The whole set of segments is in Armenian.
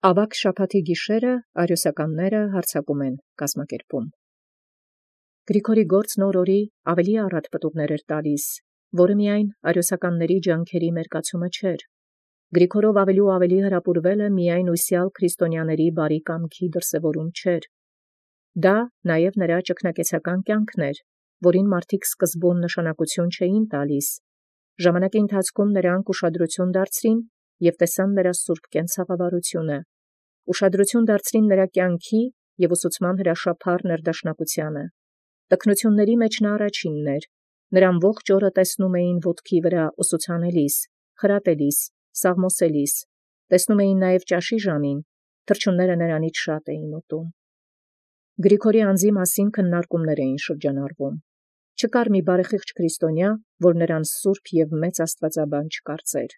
Ավագ շաբաթի գիշերը արիոսականները հարձակում են կազմակերպում։ Գրիգորի գործն օրորի ավելի առատ պտուղներ էր տալիս, որը միայն արիոսականների ջանքերի մերկացումը չէր։ Գրիգորով ավելի ու ավելի հրապուրվելը միայն ուսյալ քրիստոնյաների բարի կամքի դրսևորում չէր։ Դա նաև նրա ճգնակեցական կյանքն էր, որին մարդիկ սկզբում նշանակություն չէին տալիս։ Ժամանակի ընթացքում նրանք ուշադրություն դարձրին և տեսան նրա սուրբ կենցաղավարությունը, ուշադրություն դարձրին նրա կյանքի և ուսուցման հրաշափառ ներդաշնակությանը։ Տքնությունների մեջ նա առաջինն էր, նրան ողջ օրը տեսնում էին ոտքի վրա ուսուցանելիս, խրատելիս, սաղմոսելիս, տեսնում էին նաև ճաշի ժամին, թռչունները նրանից շատ էին ուտում։ Գրիգորի անձի մասին քննարկումներ էին շրջանառվում։ Չկար մի բարեխիղճ քրիստոնյա, որ նրան սուրբ և մեծ աստվածաբան չկարծեր։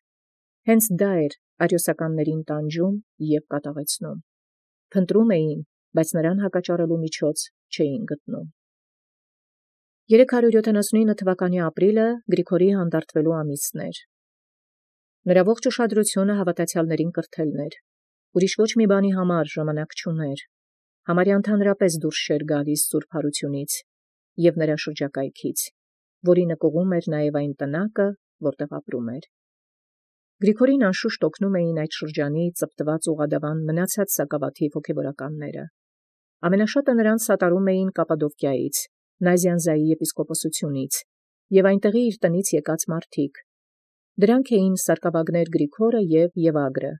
Հենց դա էր արիոսականներին տանջում և կատաղեցնում։ Փնտրում էին, բայց նրան հակաճառելու միջոց չէին գտնում։ 379 թվականի ապրիլը Գրիգորի հանդարտվելու ամիսն էր։ Նրա ողջ ուշադրությունը հավատացյալներին կրթելն էր։ Ուրիշ ոչ մի բանի համար ժամանակ չուներ։ Համարյա ընդհանրապես դուրս չէր գալիս սուրբ հարությունից և նրա շրջակայքից, որի նկուղում էր նաև այն տնակը, որտեղ ապրում էր։ Գրիգորին անշուշտ օգնում էին այդ շրջանի ծպտված ուղղադավան մնացած սակավաթիվ հոգևորականները։ Ամենաշատը նրանց սատարում էին Կապադովկիայից, Նազյանզայի եպիսկոպոսությունից և այնտեղի իր տնից եկած մարդիկ։ Դրանք էին սարկավագներ Գրիգորը և Եվագրը,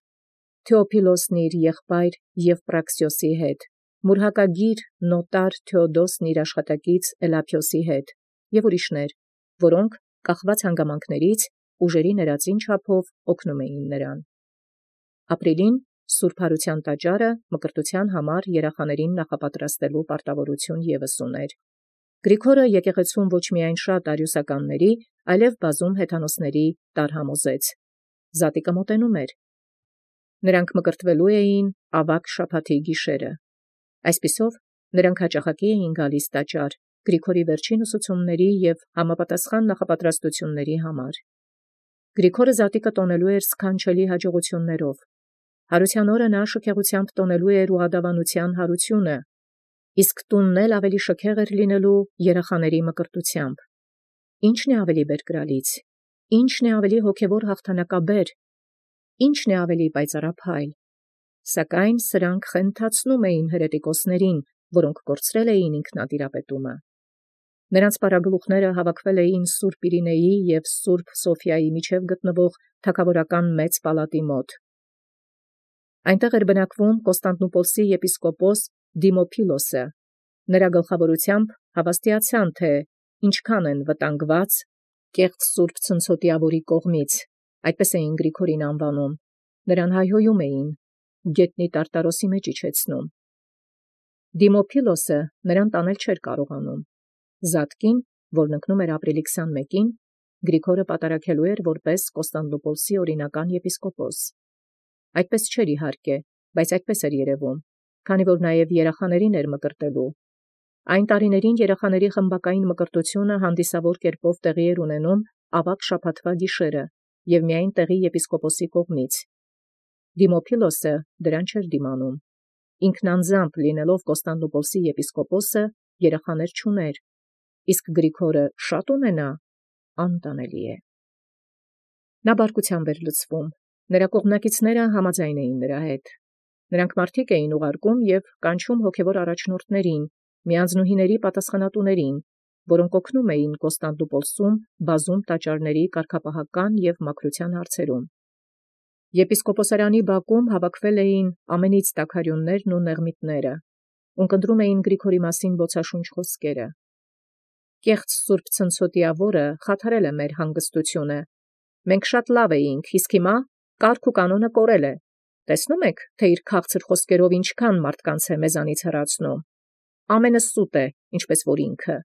Թեոփիլոսն իր եղբայր Եվպրաքսիոսի հետ, մուրհակագիր նոտար Թեոդոսն իր աշխատակից Էլափիոսի հետ և ուրիշներ, որոնք կախված հանգամանքներից ուժերի ներածին չափով օգնում էին նրան։ Ապրիլին սուրբ հարության տաճարը մկրտության համար երախաներին նախապատրաստելու պարտավորություն ևս ուներ։ Գրիգորը եկեղեցում ոչ միայն շատ արիոսականների, այլև բազում հեթանոսների տարհամոզեց։ Զատիկը մոտենում էր։ Նրանք մկրտվելու էին ավագ շաբաթի գիշերը։ Այսպիսով նրանք հաճախակի էին գալիս տաճար Գրիգորի վերջին ուսուցումների և համապատասխան նախապատրաստությունների համար։ Գրիգորը զատիկը տոնելու էր սքանչելի հաջողություններով։ Հարության օրը նա շքեղությամբ տոնելու էր ուղղադավանության հարությունը, իսկ տունն էլ ավելի շքեղ էր լինելու երախաների մկրտությամբ։ Ի՞նչն է ավելի բերկրալից, ի՞նչն է ավելի հոգևոր հաղթանակաբեր, ի՞նչն է ավելի պայծառափայլ։ Սակայն սրանք խենթացնում էին հերետիկոսներին, որոնք կորցրել էին ինքնատիրապետումը։ Նրանց պարագլուխները հավաքվել էին Սուրբ Իրինեի և Սուրբ Սոֆիայի միջև գտնվող թագավորական մեծ պալատի մոտ։ Այնտեղ էր բնակվում Կոստանդնուպոլսի եպիսկոպոս Դիմոփիլոսը։ Նրա գլխավորությամբ հավաստիացան, թե ինչքան են վտանգված կեղծ Սուրբ Ցնցոտիավորի կողմից, այդպես էին Գրիգորին անվանում, նրան հայհոյում էին, գետնի Տարտարոսի մեջ իջեցնում։ Դիմոփիլոսը նրան տանել չէր կարողանում։ Զատկին, որն ընկնում էր ապրիլի 21-ին, Գրիգորը պատարագելու էր որպես Կոստանդնուպոլսի օրինական եպիսկոպոս։ Այդպես չէր իհարկե, բայց այդպես էր երևում, քանի որ նաև երախաներին էր մկրտելու։ Այն տարիներին երախաների խմբակային մկրտությունը հանդիսավոր կերպով տեղի էր ունենում ավագ շաբաթվա գիշերը և միայն տեղի եպիսկոպոսի կողմից։ Դիմոփիլոսը դրան չէր դիմանում։ Ինքն անձամբ լինելով Կոստանդնուպոլսի եպիսկոպոսը երախաներ չուներ, իսկ Գրիգորը շատ ունենա, անտանելի է։ Նա բարկությամբ էր լցվում, նրա կողմնակիցները համաձայն էին նրա հետ։ Նրանք մարդիկ էին ուղարկում և կանչում հոգևոր առաջնորդներին, միանձնուհիների պատասխանատուներին, որոնք օգնում էին Կոստանդնուպոլսում բազում տաճարների կարգապահական և մաքրության հարցերում։ Եպիսկոպոսարանի բակում հավաքվել էին ամենից տաքարյուններն ու նեղմիտները, ունկնդրում էին Գրիգորի մասին բոցաշունչ խոսքերը։ Կեղծ Սուրբ Ցնցոտիավորը խաթարել է մեր հանգստությունը։ Մենք շատ լավ էինք, իսկ հիմա կարգ ու կանոնը կորել է։ Տեսնում եք, թե իր քաղցր խոսքերով ինչքան մարդկանց է մեզանից հեռացնում։ Ամենը սուտ է, ինչպես որ ինքը։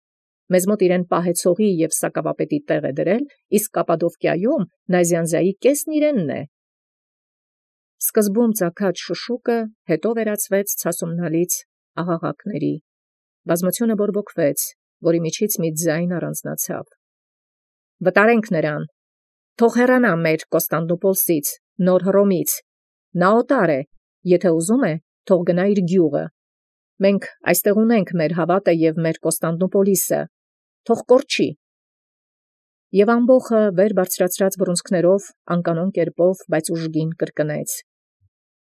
Մեզ մոտ իրեն պահեցողի և սակավապետի տեղ է դրել, իսկ Կապադովկիայում Նազյանզայի կեսն իրենն է։ Սկզբում ծագած շշուկը հետո վերածվեց ցասումնալից աղաղակների։ Բազմությունը բորբոքվեց, որի միջից մի ձայն առանձնացավ։ Վտարենք նրան, թող հեռանա մեր Կոստանդնուպոլսից, Նոր Հռոմից, նա օտար է, Եթե ուզում է, թող գնա իր գյուղը։ Մենք այստեղ ունենք մեր հավատը և մեր Կոստանդնուպոլիսը, թող կորչի։ Եվ ամբոխը վեր բարձրացրած բռունցքներով, անկանոն կերպով, բայց ուժգին կրկնեց.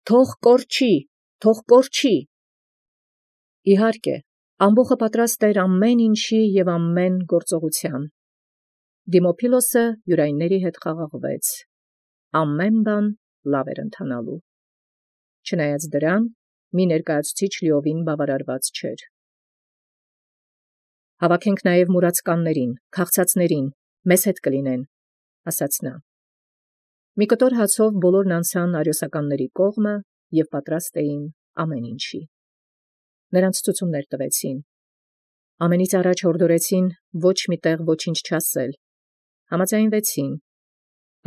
թող կորչի, թող կորչի։ Իհարկե, ամբոխը պատրաստ էր ամեն ինչի և ամեն գործողության։ Դիմոփիլոսը յուրայինների հետ խաղաղվեց։ Ամեն բան լավ էր ընթանալու։ Չնայած դրան, մի ներկայացուցիչ լիովին բավարարված չէր։ Հավաքենք նաև մուրացկաններին, քաղցածներին, մեզ հետ կլինեն, ասաց նա։ Մի կտոր հացով բոլորն անցան արիոսականների կողմը և պատրաստ էին ամեն ինչի։ Նրանց ցուցումներ տվեցին։ Ամենից առաջ հորդորեցին ոչ մի տեղ ոչինչ չասել։ Համաձայնվեցին։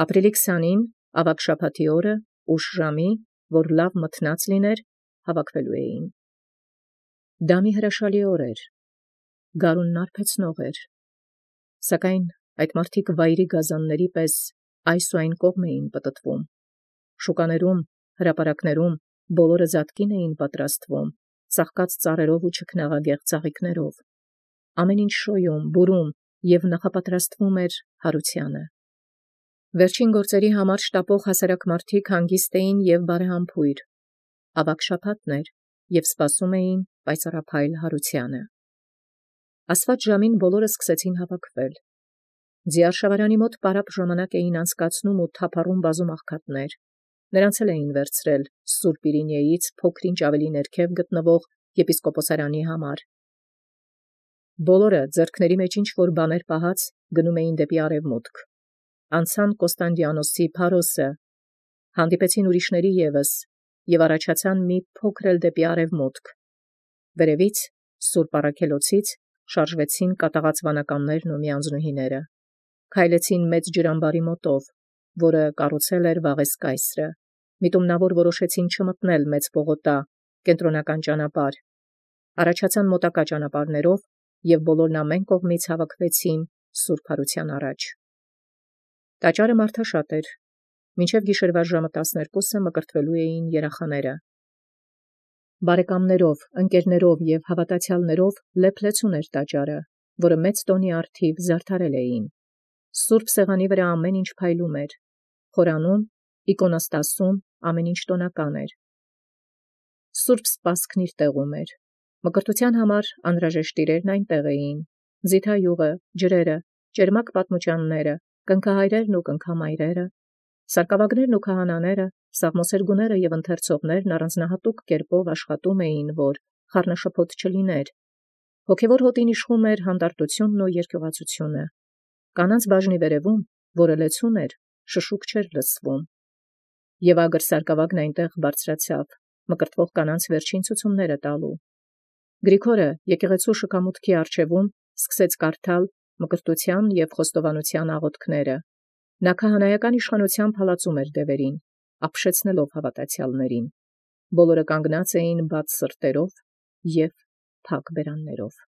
Ապրիլի 20-ին, ավագ շաբաթի օրը, ուշ ժամի, որ լավ մթնած լիներ, հավաքվելու էին։ Դա մի հրաշալի օր էր։ Գարունն արբեցնող էր։ Սակայն այդ մարդիկ վայրի գազանների պես այս ու այն կողմ էին պտտվում։ Շուկաներում, հրապարակներում բոլորը զատկին էին պատրաստվում, ծաղկած ծառերով ու չքնաղագեղ ծաղիկներով։ Ամեն ինչ շոյում, բուրում և նախապատրաստվում էր հարությանը։ Վերջին գործերի համար շտապող հասարակ մարդիկ հանգիստ էին և բարեհամբույր։ Ավագ շաբաթն էր, և սպասում էին պայծառափայլ հարությանը։ Ասված ժամին բոլորը սկսեցին հավաքվել։ Ձիարշավարանի մոտ պարապ ժամանակ էին անցկացնում ու թափառում բազում աղքատներ։ Նրանց էլ էին վերցրել Սուրբ Իրինեից փոքր-ինչ ավելի ներքև գտնվող եպիսկոպոսարանի համար։ Բոլորը ձեռքների մեջ ինչ-որ բաներ պահած գնում էին դեպի արևմուտք։ Անցան Կոստանդիանոսի Փարոսը, հանդիպեցին ուրիշների ևս և առաջացան մի փոքր էլ դեպի արևմուտք։ Վերևից, Սուրբ Առաքելոցից, շարժվեցին կատաղած վանականներն ու միանձնուհիները։ Քայլեցին մեծ ջրամբարի մոտով, որը կառուցել էր Վաղես կայսրը։ Միտումնավոր որոշեցին չմտնել մեծ պողոտա, կենտրոնական ճանապարհ։ Առաջացան մոտակա ճանապարհներով և բոլորն ամեն կողմից հավաքվեցին սուրբ հարության առաջ։ Տաճարը մարդաշատ էր։ Մինչև գիշերվա ժամը 12-ը մկրտվելու էին երախաները։ Բարեկամներով, ընկերներով և հավատացյալներով լեփլեցուն էր տաճարը, որը մեծ տոնի առթիվ զարդարել էին։ Սուրբ սեղանի վրա ամեն ինչ փայլում էր։ Խորանում, իկոնոստասում ամեն ինչ տոնական էր։ Սուրբ սպասքն իր տեղում էր։ Մկրտության համար անհրաժեշտ իրերն այնտեղ էին. ձիթայուղը, ջրերը, ճերմակ պատմուճանները, կնքահայրերն ու կնքամայրերը, սարկավագներն ու քահանաները, սաղմոսերգուները և ընթերցողներն առանձնահատուկ կերպով աշխատում էին, որ խառնաշփոթ չլիներ։ Հոգևոր հոտին իշխում էր հանդարտությունն ու երկյուղացությունը։ Կանանց բաժնի վերևում, որը լեցուն էր, շշուկ չէր լսվում։ Եվ ագր սարկավագն այնտեղ բարձրացավ, մկրտվող կանանց վերջին ցուցումները տալու։ Գրիգորը եկեղեցու շքամուտքի առջևում սկսեց կարդալ մկրտության և խոստովանության աղոթքները։ Նա քահանայական իշխանությամբ հալածում էր դևերին, ապշեցնելով հավատացյալներին։ Բոլորը կանգնած էին բաց սրտերով և փակ բերաններով։